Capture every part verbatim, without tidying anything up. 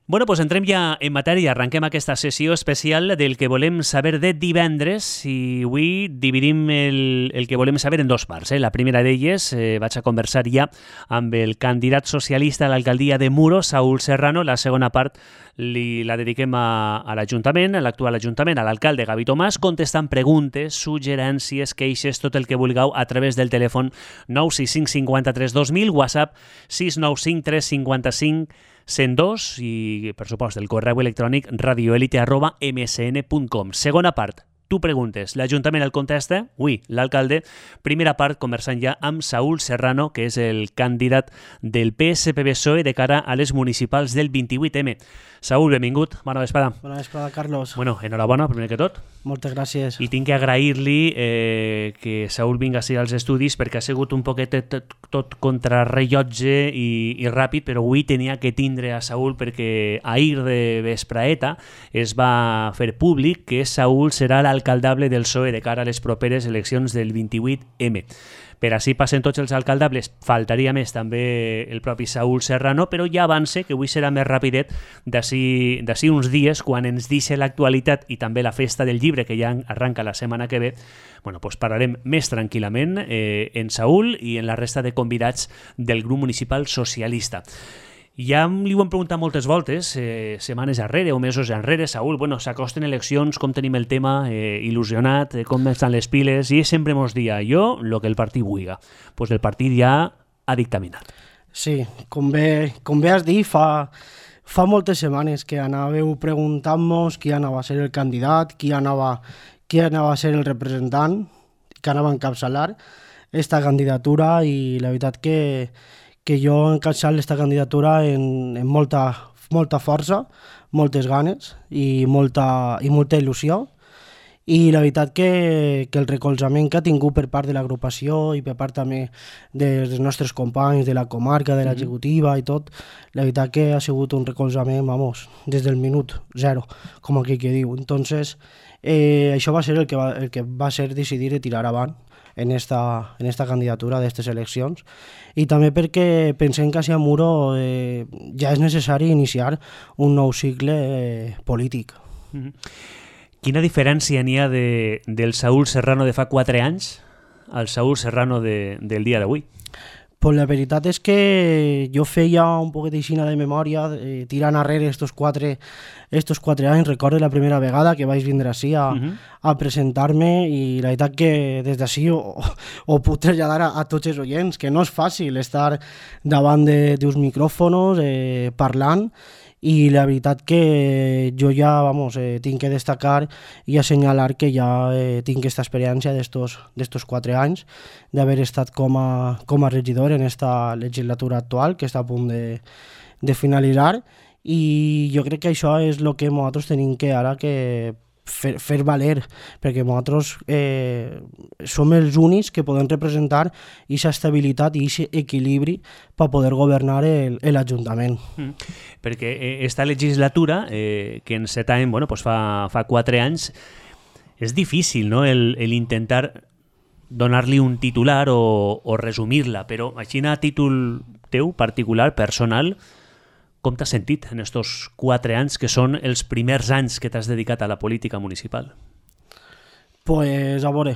Bueno, doncs entrem ja en matèria, arrenquem aquesta sessió especial del que volem saber de divendres i avui dividim el, el que volem saber en dos parts. Eh? La primera d'elles, eh, vaig a conversar ja amb el candidat socialista a l'alcaldia de Muro, Saúl Serrano. La segona part li, la dediquem a, a l'Ajuntament, a l'actual Ajuntament, a l'alcalde Gavi Tomàs, contestant preguntes, suggerències, queixes, tot el que vulgueu a través del telèfon nou sis cinc cinquanta-tres dos mil, WhatsApp sis nou cinc tres cinquanta-cinc cent dos i, per supost, el correu electrònic radioelite arroba msn punt com. Segona part, tu preguntes, l'Ajuntament el contesta, ui, l'alcalde. Primera part, conversant ja amb Saúl Serrano, que és el candidat del P S P B P S O E de cara a les municipals del vint-i-vuit eme. Saúl, benvingut, bona vesprada. Bona vesprada, Carlos. Bueno, enhorabona, primer que tot. Moltes gràcies. I tinc que agrair-li eh, que Saúl vinga així als estudis perquè ha sigut un poquet tot, tot contrarrellotge i, i ràpid, però avui tenia que tindre a Saúl perquè ahir de vespraeta es va fer públic que Saúl serà l'alcaldable del P S O E de cara a les properes eleccions del vint-i-vuit eme. Per així passen tots els alcaldables, faltaria més també el propi Saúl Serrano, però ja avance que avui serà més rapidet d'ací uns dies, quan ens deixa l'actualitat i també la festa del llibre, que ja arranca la setmana que ve. Bueno, doncs parlarem més tranquil·lament eh, en Saúl i en la resta de convidats del grup municipal socialista. Ja li ho hem preguntat moltes voltes, eh, setmanes arrere o mesos enrere, Saúl, bueno, s'acosten eleccions, com tenim el tema, eh, il·lusionat, eh, com estan les piles, i sempre mos dia jo el que el partit vulga. Doncs pues el partit ja ha dictaminat. Sí, com bé, com bé has dit, fa, fa moltes setmanes que anàveu preguntant-nos qui anava a ser el candidat, qui anava, qui anava a ser el representant, que anava a encapçalar esta candidatura, i la veritat que que jo he encapçalat aquesta candidatura en, en molta, molta força, moltes ganes i molta, i molta il·lusió. I la veritat que, que el recolzament que ha tingut per part de l'agrupació i per part també dels nostres companys de la comarca, de l'executiva i tot, la veritat que ha sigut un recolzament, vamos, des del minut zero, com aquí que diu. Entonces, eh, això va ser el que va, el que va ser decidir de tirar avant en esta, en esta candidatura d'aquestes eleccions, i també perquè pensem que a Muro eh, ja és necessari iniciar un nou cicle eh, polític. Mm-hmm. Quina diferència n'hi ha de, del Saúl Serrano de fa quatre anys al Saúl Serrano de, del dia d'avui? Pues la veritat és que jo feia un poquet d'aixina de memòria, eh, tirant arrere estos quatre, estos quatre anys. Recordo la primera vegada que vaig vindre així a, uh-huh. a presentar-me, i la veritat que des d'ací ho, ho puc traslladar a, a tots els oients, que no és fàcil estar davant d'uns micròfonos eh, parlant, i la veritat que jo ja, vamos, eh, tinc que destacar i assenyalar que ja eh, tinc aquesta experiència d'estos quatre anys, d'haver estat com a, com a regidor en esta legislatura actual, que està a punt de, de finalitzar, i jo crec que això és el que nosaltres tenim que ara que fer, fer valer, perquè nosaltres eh, som els únics que podem representar aquesta estabilitat i aquest equilibri per poder governar l'Ajuntament. Mm. Perquè esta legislatura, eh, que en set anys, bueno, pues fa, fa quatre anys, és difícil, no?, el, el intentar donar-li un titular o, o resumir-la, però així a títol teu, particular, personal, com t'has sentit en estos quatre anys, que són els primers anys que t'has dedicat a la política municipal? Pues, a veure,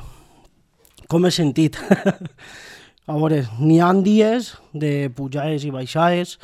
com he sentit? A veure, n'hi ha dies de pujades i baixades,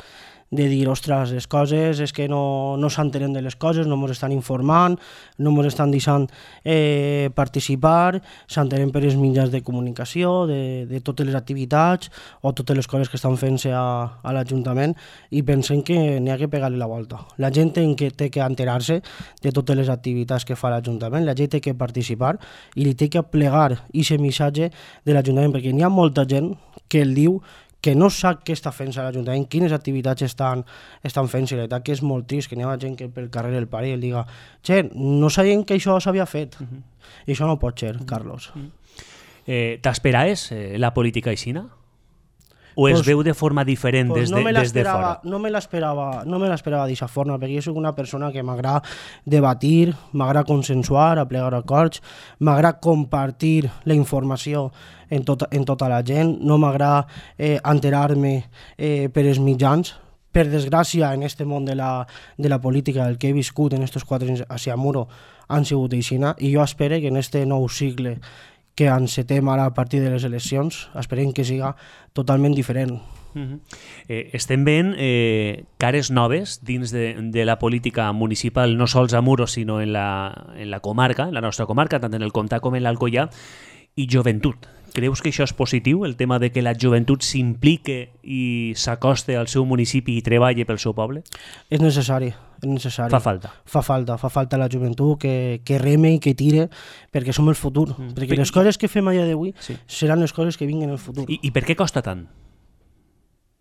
de dir, ostres, les coses és que no, no s'entenen de les coses, no ens estan informant, no ens estan deixant eh, participar, s'entenen per els mitjans de comunicació, de, de totes les activitats o totes les coses que estan fent-se a, a l'Ajuntament, i pensem que n'hi ha que pegar-li la volta. La gent té que, té que enterar-se de totes les activitats que fa l'Ajuntament, la gent té que participar i li té que plegar aquest missatge de l'Ajuntament, perquè n'hi ha molta gent que el diu que no sap què està fent a l'Ajuntament, quines activitats estan, estan fent, i la veritat que és molt trist, que n'hi ha gent que pel carrer el pare i el diga, che, no sabien que això s'havia fet. Uh-huh. I això no pot ser, uh-huh. Carlos. Uh-huh. Eh, T'esperaves eh, la política aixina? O es pues, veu de forma diferent pues des, no de, des de fora? No me l'esperava no me l'esperava d'aquesta forma, perquè jo soc una persona que m'agrada debatir, m'agrada consensuar, aplegar acords, m'agrada compartir la informació en tota, en tota la gent, no m'agrada eh, enterar-me eh, per els mitjans, per desgràcia, en este món de la, de la política, el que he viscut en estos quatre anys a Muro han sigut aixina, i jo espero que en este nou cicle que encetem ara a partir de les eleccions, esperem que siga totalment diferent. Uh-huh. eh, estem veient eh, cares noves dins de, de la política municipal, no sols a Muro, sinó en la, en la comarca, en la nostra comarca, tant en el Comtat com en l'Alcoià, i joventut. Creus que això és positiu, el tema de que la joventut s'implique i s'acoste al seu municipi i treballi pel seu poble? És necessari, és necessari. Fa falta. Fa falta, fa falta la joventut que, que reme i que tire, perquè som el futur. Mm. Perquè les coses que fem a dia d'avui sí. seran les coses que vinguin en el futur. I, I per què costa tant?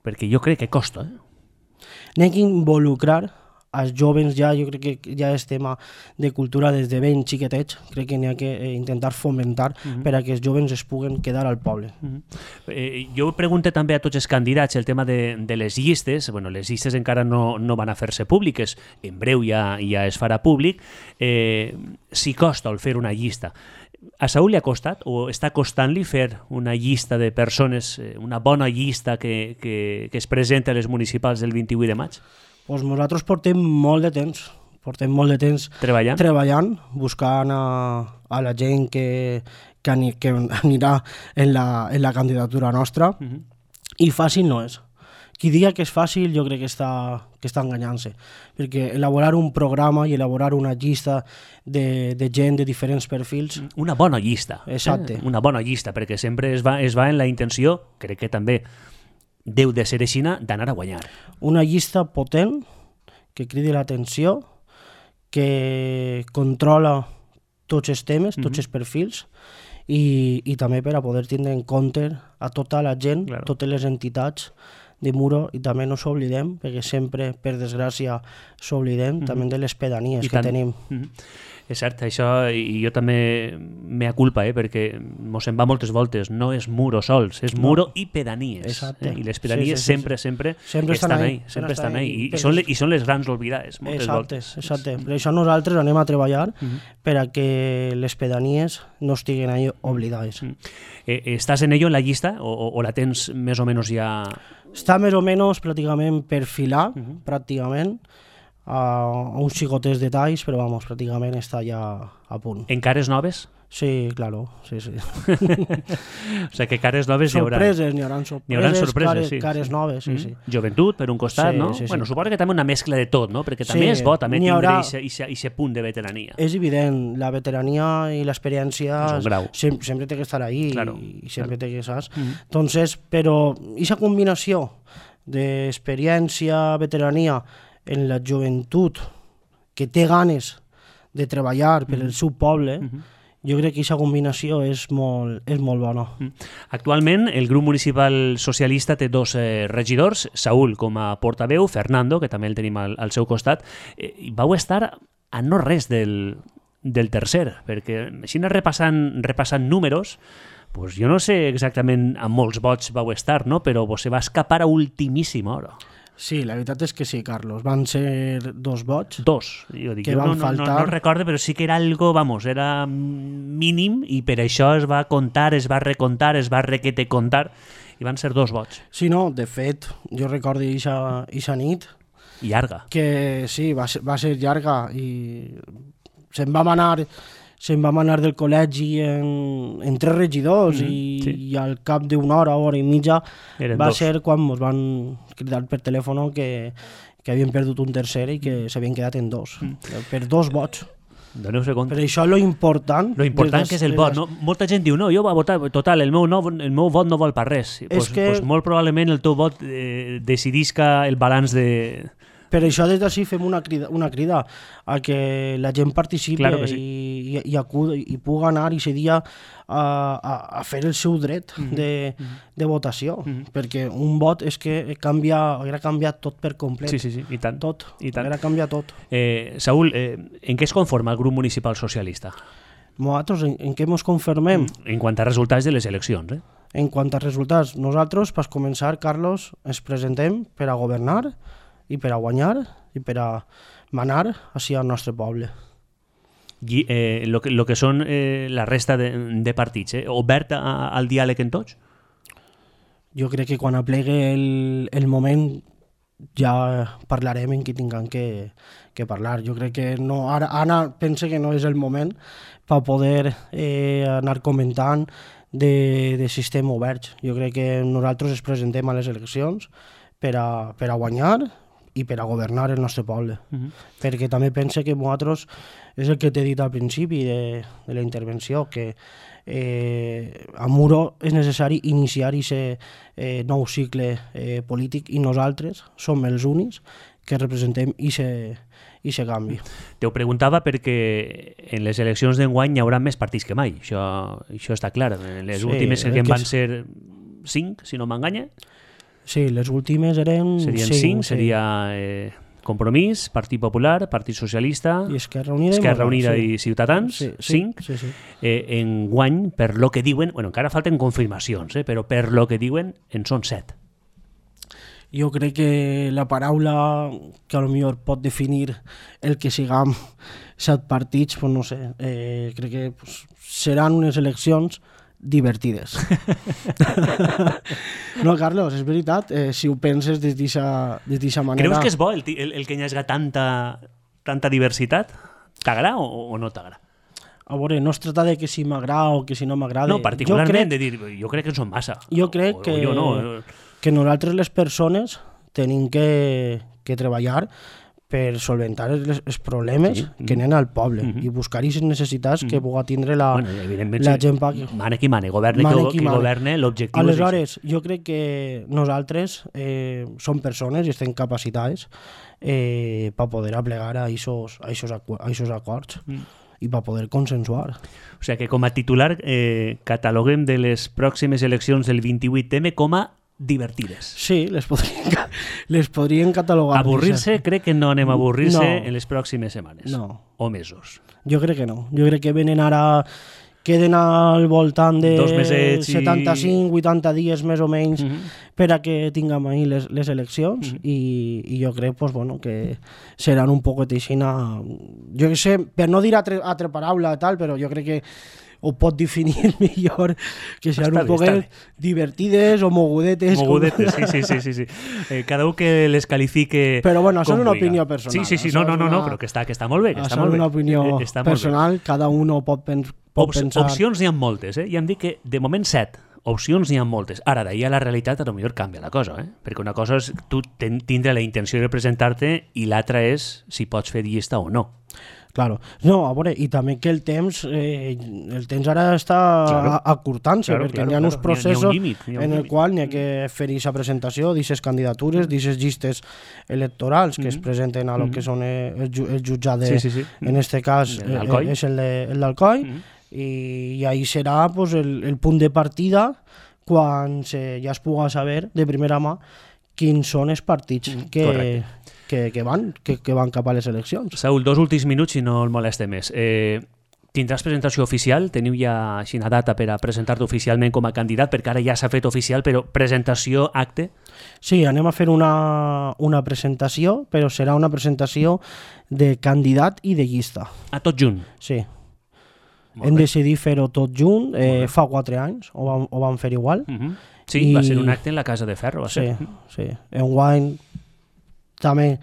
Perquè jo crec que costa. Eh? N'hem d'involucrar els joves, ja, jo crec que ja és tema de cultura des de ben xiquetets, crec que n'hi ha que intentar fomentar uh-huh. per a que els joves es puguen quedar al poble. Uh-huh. eh, jo pregunto també a tots els candidats el tema de, de les llistes. Bueno, les llistes encara no, no van a fer-se públiques, en breu ja, ja es farà públic. Eh, si costa el fer una llista. A Saúl li ha costat o està costant-li fer una llista de persones, una bona llista que, que, que es presenta a les municipals del vint-i-vuit de maig? Pues nosaltres portem molt de temps, portem molt de temps treballant, treballant buscant a, a la gent que, que, ani, que anirà en la, en la candidatura nostra, uh-huh. i fàcil no és. Qui diga que és fàcil jo crec que està, que està enganyant-se, perquè elaborar un programa i elaborar una llista de, de gent de diferents perfils... Una bona llista. Exacte. Eh? Una bona llista, perquè sempre es va, es va en la intenció, crec que també deu de ser aixina, d'anar a guanyar. Una llista potent, que cridi l'atenció, que controla tots els temes, tots mm-hmm. els perfils, i, i també per a poder tindre en compte a tota la gent, claro. totes les entitats de Muro, i també no s'oblidem, perquè sempre, per desgràcia, s'oblidem mm-hmm. també de les pedanies I que tant. tenim. Mm-hmm. És cert, això, i jo també m'ha culpa, eh, perquè mos en va moltes voltes, no és Muro sols, és Muro no. i pedanies. Exacte. Eh? I les pedanies sí, sí, sí, sempre, sí. sempre, sempre estan ahí. ahí sempre estan ahí. I, i, són les, I són les grans oblidades, moltes exacte, voltes. Exacte, per això nosaltres anem a treballar uh-huh. per a que les pedanies no estiguen ahí oblidades. Uh-huh. Eh, ¿Estàs en ello, en la llista, o, o, o la tens més o menys ja...? Està més o menys pràcticament per filar, uh-huh. pràcticament, a uns xicotes detalls, però vamos, pràcticament està ja a punt. En cares noves? Sí, claro, sí, sí. O sigui que cares noves hi haurà. Sorpreses, n'hi haurà sorpreses, n'hi haurà sorpreses cares, sí. cares noves, sí, sí. Joventut, per un costat, sí, no? Sí, sí. Bueno, suposo que també una mescla de tot, no? Perquè també sí, és bo també tindre haurà... aquest punt de veterania. És evident, la veterania i l'experiència sem sempre té que estar ahí claro, i sempre claro. té que saps. Mm -hmm. Entonces, però aquesta combinació d'experiència, veterania en la joventut que té ganes de treballar per al seu poble, mm-hmm. jo crec que aquesta combinació és molt, és molt bona. Mm. Actualment, el grup municipal socialista té dos eh, regidors, Saúl com a portaveu, Fernando, que també el tenim al, al seu costat, eh, i vau estar a no res del, del tercer, perquè així repassant, repassant números, pues jo no sé exactament a molts vots vau estar, no? Però vos se va escapar a ultimíssima hora. Sí, la veritat és que sí, Carlos. Van ser dos vots. Dos, jo dic. Que jo van no, no, faltar. No, no recordo, però sí que era algo, vamos, era mínim i per això es va comptar, es va recontar, es va requete contar i van ser dos vots. Sí, no, de fet, jo recordo ixa nit... Llarga. Que sí, va ser, va ser llarga i se'n vam anar... se'n vam anar del col·legi en, en tres regidors mm, i, sí. i al cap d'una hora, hora i mitja Eren va dos. ser quan ens van cridar per telèfon que, que havien perdut un tercer i que s'havien quedat en dos, mm. per dos vots. Doneu-se compte. Per això lo important... Lo important que és el vot. No? Molta gent diu, no, jo va votar, total, el meu, no, el meu vot no vol per res. Pues, que... pues molt probablement el teu vot eh, decidisca el balanç de... Per això des d'ací fem una crida, una crida a que la gent participi claro sí. i, i, i, acudi, i pugui anar i ser dia a, a, a fer el seu dret mm -hmm. de, de votació, mm -hmm. perquè un vot és que canvia, era canviat tot per complet. Sí, sí, sí, i tant. Tot, I tant. era canviat tot. Eh, Saúl, eh, en què es conforma el grup municipal socialista? Nosaltres, en, en què ens conformem? En quant a resultats de les eleccions, eh? En quant a resultats, nosaltres, per començar, Carlos, ens presentem per a governar i per a guanyar i per a manar així al nostre poble. I eh, lo, que, lo que són eh, la resta de, de partits, eh? obert a, al diàleg en tots? Jo crec que quan aplegue el, el moment ja parlarem en qui tinguem que, que parlar. Jo crec que no, ara, ara pense que no és el moment per poder eh, anar comentant de, de sistema obert. Jo crec que nosaltres ens presentem a les eleccions per a, per a guanyar i per a governar el nostre poble. Uh-huh. Perquè també pense que nosaltres, és el que t'he dit al principi de, de la intervenció, que eh, a Muro és necessari iniciar aquest eh, nou cicle eh, polític i nosaltres som els únics que representem aquest canvi. Te ho preguntava perquè en les eleccions d'enguany hi haurà més partits que mai, això, això està clar. En les sí, últimes que, que van ser cinc, si no m'enganya. Sí, les últimes eren serien cinc, cinc sí. Seria eh, Compromís, Partit Popular, Partit Socialista, i Esquerra Unida, Esquerra i, Unida sí. i Ciutadans, sí, sí, cinc. Sí, sí. Eh, enguany, per lo que diuen, bueno, encara falten confirmacions, eh, però per lo que diuen en són set. Jo crec que la paraula que a lo millor pot definir el que siguem set partits, pues no sé, eh, crec que pues, seran unes eleccions divertides. No, Carlos, és veritat, eh, si ho penses des d'aquesta manera... Creus que és bo el, el, el que hi hagi tanta, tanta diversitat? T'agrada o, o no t'agrada? A veure, no es tracta de que si m'agrada o que si no m'agrada. No, particularment, crec, de dir, jo crec que en són massa. Jo crec o, que, o jo no. que nosaltres les persones tenim que, que treballar per solventar els, els problemes sí. que anen al poble mm-hmm. i buscar aquestes necessitats mm-hmm. que pugui tindre la, bueno, la gent. Pa... Mane qui mane, governe mane qui, qui mane. Governe, l'objectiu Aleshores, és jo crec que nosaltres eh, som persones i estem capacitades eh, per poder aplegar a aquests acords. Mm. i per poder consensuar. O sigui que com a titular eh, cataloguem de les pròximes eleccions del vint-i-vuit eme com a divertides. Sí, les podrien, les podrien catalogar. Avorrir-se, crec que no anem a avorrir-se no. en les pròximes setmanes. No. O mesos. Jo crec que no. Jo crec que venen ara... queden al voltant de setanta-cinc vuitanta dies més o menys mm-hmm. per a que tinguem ahir les, les eleccions mm-hmm. i, i jo crec pues, bueno, que seran un poquet aixina... Jo sé, per no dir altra, altra paraula tal, però jo crec que ho pot definir millor, que seran un poquet divertides o mogudetes. Mogudetes, com... sí, sí, sí. sí. Eh, cada un que les califique... Però bueno, això és una opinió personal. Sí, sí, sí, no, no, no, no, però que està, que està molt bé. Que està molt és una bé. opinió eh, personal, cada un pot, pen, pot Op pensar... Opcions n'hi ha moltes, eh? I hem dit que de moment set. Opcions n'hi ha moltes. Ara, d'ahir a la realitat, a lo millor canvia la cosa, eh? Perquè una cosa és tu ten, tindre la intenció de representar-te i l'altra és si pots fer llista o no. Claro. No, a veure, i també que el temps eh, el temps ara està claro. acurtant-se, claro, perquè claro, hi ha claro. uns processos ha, ha un límit, ha un en el qual n'hi ha que fer aquesta presentació d'aquestes candidatures, d'aquestes llistes electorals que mm -hmm. es presenten a lo mm -hmm. que són el, el jutjat de, sí, sí, sí. en este cas eh, és el d'Alcoi, mm -hmm. i, i ahí serà pues, el, el punt de partida quan se, ja es pugui saber de primera mà quins són els partits mm, que, que, que, van, que, que van cap a les eleccions. Saúl, dos últims minuts i no el moleste més. Eh, tindràs presentació oficial? Teniu ja així una data per a presentar-te oficialment com a candidat? Perquè ara ja s'ha fet oficial, però presentació, acte? Sí, anem a fer una, una presentació, però serà una presentació de candidat i de llista. A tot junt? Sí. Hem decidit fer-ho tot junt, eh, fa quatre anys, ho vam, ho vam fer igual. Uh -huh. Sí, I... va ser un acte en la Casa de Ferro. Va ser. Sí, sí. Enguany també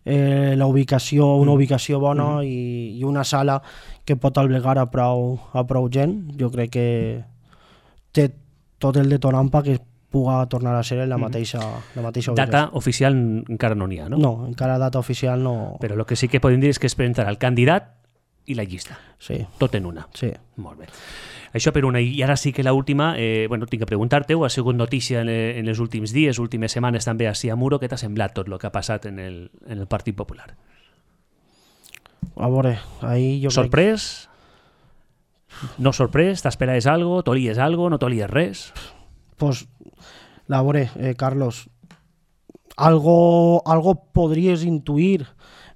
eh, la ubicació, una ubicació bona uh -huh. i, i una sala que pot albergar a prou, a prou gent. Jo crec que té tot el detonant que puga tornar a ser en la mateixa, la mateixa ubicació. Data oficial encara no n'hi ha, no? No, encara data oficial no... Però el que sí que podem dir és que es presentarà el candidat i la llista. Sí. Tot en una. Sí. Molt bé. Això per una. I ara sí que l'última, eh, bueno, tinc que preguntar-te-ho, ha sigut notícia en, en els últims dies, últimes setmanes també a Muro. Què t'ha semblat tot el que ha passat en el, en el Partit Popular? A veure, ahí jo Sorprès? Crec... No sorprès? T'esperaves algo? T'olies algo? No t'olies res? Pues, a veure, eh, Carlos, algo, algo podries intuir,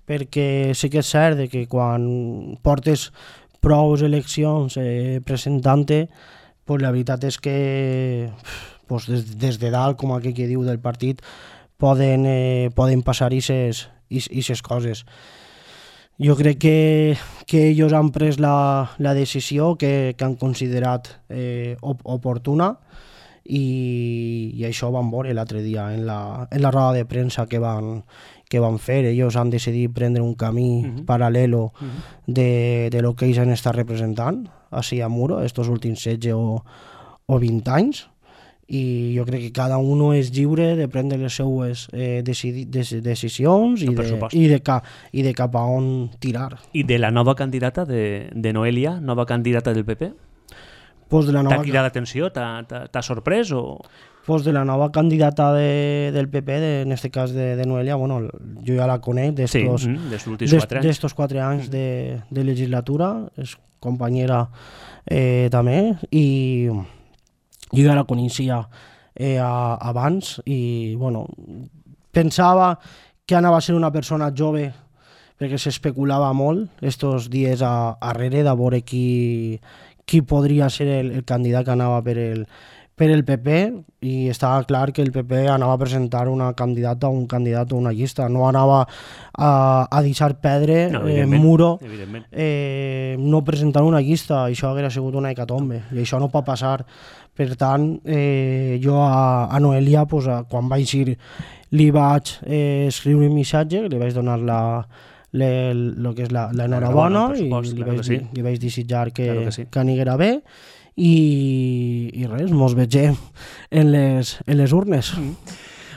perquè sí que és cert que quan portes prou eleccions eh, presentant-te, pues la veritat és que pues des, des de dalt, com aquell que diu del partit, poden, eh, poden passar aquestes coses. Jo crec que, que ells han pres la, la decisió que, que han considerat eh, op oportuna i, i això ho vam veure l'altre dia en la, en la roda de premsa que van, que van fer. Ells han decidit prendre un camí uh-huh. paral·lelo uh-huh. de, de lo que ells han estat representant així a Muro estos últims setze o, o vint anys, i jo crec que cada un és lliure de prendre les seues eh, decidi, des, decisions i de, i, de ca, i de cap a on tirar. I de la nova candidata de, de Noelia, nova candidata del P P? Pues de la nova... T'ha cridat l'atenció? T'ha sorprès? O... Pues de la nova candidata de, del P P, de, en este cas de, de Noelia, bueno, jo ja la conec d'estos sí, mm, quatre, d'estos quatre anys de, de legislatura, és companyera eh, també, i jo ja la coneixia eh, a, abans i bueno, pensava que anava a ser una persona jove perquè s'especulava molt estos dies a, arrere de veure qui, qui podria ser el, el candidat que anava per el, per el P P, i estava clar que el P P anava a presentar una candidata o un candidat o una llista, no anava a, a deixar perdre no, eh, Muro eh, no presentant una llista. Això hauria sigut una hecatombe i això no pot passar. Per tant, eh, jo a, a Noelia, pues, a, quan vaig ir, li vaig eh, escriure un missatge, li vaig donar la, le, lo que és la, la enhorabona i li vaig, sí. li vaig desitjar que, claro que, sí. que aniguera bé. I, i res, mos vegem en les, en les urnes. Mm.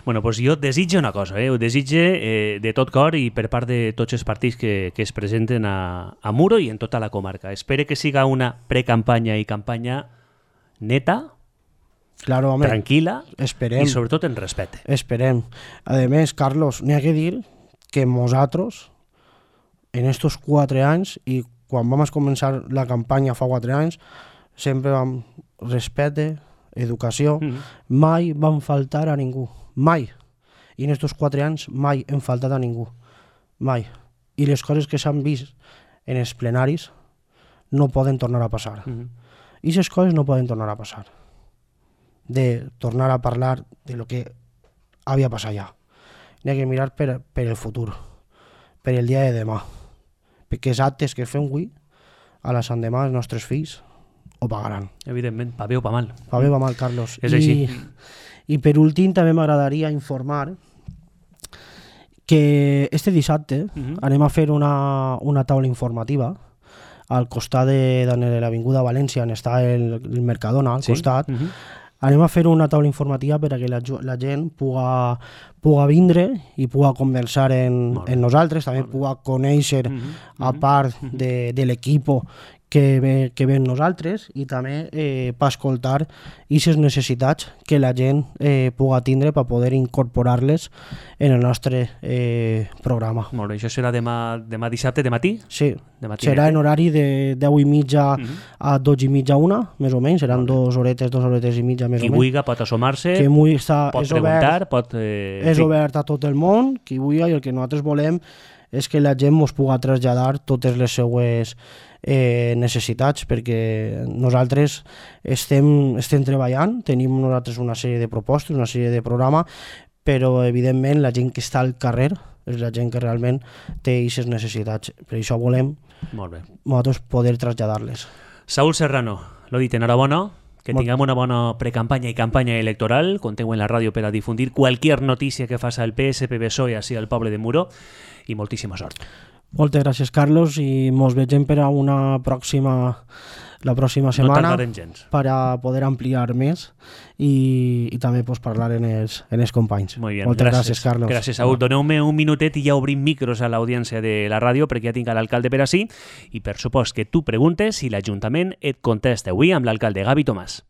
Bueno, pues jo desitjo una cosa, eh? ho desitge eh, de tot cor i per part de tots els partits que, que es presenten a, a Muro i en tota la comarca. Espero que siga una precampanya i campanya neta, claro, home, tranquil·la esperem. I sobretot en respecte. Esperem. A més, Carlos, n'hi ha que dir que nosaltres, en estos quatre anys, i quan vam començar la campanya fa quatre anys, sempre vam respecte, educació, mm. mai vam faltar a ningú, mai. I en estos quatre anys mai hem faltat a ningú, mai. I les coses que s'han vist en els plenaris no poden tornar a passar. Mm. I aquestes coses no poden tornar a passar. De tornar a parlar de lo que havia passat ja. N'hi ha que mirar per, per el futur, per el dia de demà. Perquè els actes que fem avui, a la Sant Demà, els nostres fills, ho pagaran. Evidentment, pa bé o pa mal. Pa bé o pa mal, Carlos. És així. I, I per últim també m'agradaria informar que este dissabte uh-huh. anem a fer una, una taula informativa al costat de, de l'Avinguda València, on està el, el Mercadona, al sí. costat. Uh-huh. Anem a fer una taula informativa per a que la, la gent puga, puga vindre i puga conversar en, en nosaltres, també puga conèixer, uh-huh. a part de, de l'equip que ve, que ve en nosaltres, i també eh, per escoltar aquestes necessitats que la gent eh, puga tindre per poder incorporar-les en el nostre eh, programa. Molt bé, això serà demà, demà dissabte de matí? Sí, de serà en horari de deu i mitja uh-huh. a dotze i mitja, una, més o menys, seran dues horetes, dues horetes i mitja, més qui o menys. Qui vulgui pot assomar-se, està, pot és preguntar, obert, pot... Eh, és sí. obert a tot el món, qui vulgui, i el que nosaltres volem és que la gent ens pugui traslladar totes les seues eh, necessitats, perquè nosaltres estem, estem treballant, tenim nosaltres una sèrie de propostes, una sèrie de programes, però evidentment la gent que està al carrer és la gent que realment té aquestes necessitats. Per això volem Molt bé. nosaltres poder traslladar-les. Saúl Serrano, l'ho dit, enhorabona. Que Molt... tinguem una bona precampanya i campanya electoral. Conteu en la ràdio per a difundir qualsevol notícia que faça el P S, P B S O E així al poble de Muro, i moltíssima sort. Moltes gràcies, Carlos, i mos vegem per a una pròxima la pròxima setmana no per a poder ampliar més i, i també pues, parlar en els, en els companys. Molt bé, moltes gràcies, gràcies Carlos. Gràcies, Saúl. Doneu-me un minutet i ja obrim micros a l'audiència de la ràdio perquè ja tinc l'alcalde per ací i per supost que tu preguntes i l'Ajuntament et contesta avui amb l'alcalde Gavi Tomàs.